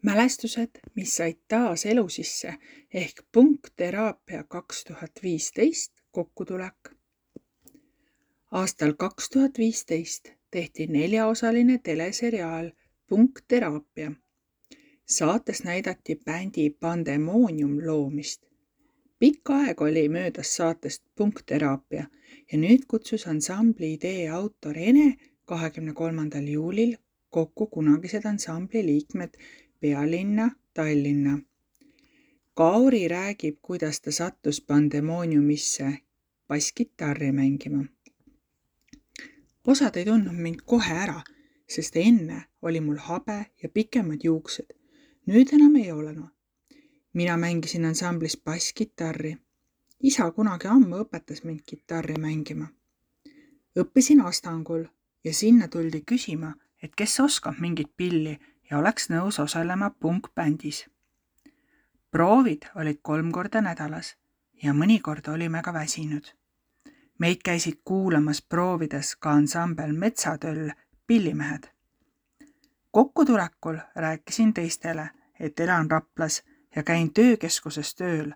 Mälestused, mis said taas elu sisse ehk Punkteraapia 2015 kokkutulek. Aastal 2015 tehti 4-osaline teleseriaal Punkteraapia. Saates näidati bändi Pandemonium loomist. Pikk aeg oli möödas saatest Punkteraapia ja nüüd kutsus ansambli idee autor Ene 23. juulil kokku kunagised ansambli liikmed Pealinna, Tallinna. Kauri räägib, kuidas ta sattus Pandemoniumisse basskitarri mängima. Osad ei tundnud mind kohe ära, sest enne oli mul habe ja pikemad juuksed. Nüüd enam ei ole. Mina mängisin ansamblis basskitarri. Isa kunagi ammu õpetas mind kitarri mängima. Õppisin Astangul ja sinna tuldi küsima, et kes oskab mingit pilli ja oleks nõus osalema punkbändis. Proovid olid 3 korda nädalas ja mõnikord olime ka väsinud. Meid käisid kuulamas proovides ka ansambel Metsatöll Pillimehed. Kokkutulekul rääkisin teistele, et elan Raplas ja käin töökeskuses tööl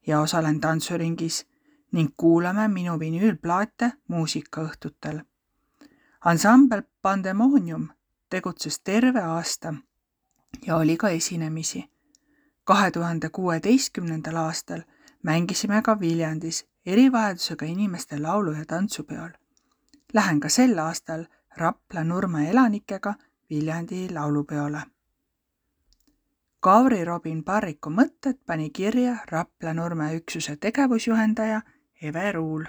ja osalen tantsuringis ning kuulame minu vinüülplaate muusikaõhtutel. Ansambel Pandemonium tegutses terve aasta ja oli ka esinemisi. 2016. aastal mängisime ka Viljandis erivajadusega inimeste laulu- ja tantsupeol. Lähen ka sel aastal Rapla Nurme elanikega Viljandi laulupeole. Kauri Robin Parriku mõtted pani kirja Rapla Nurme üksuse tegevusjuhendaja Eve Ruul.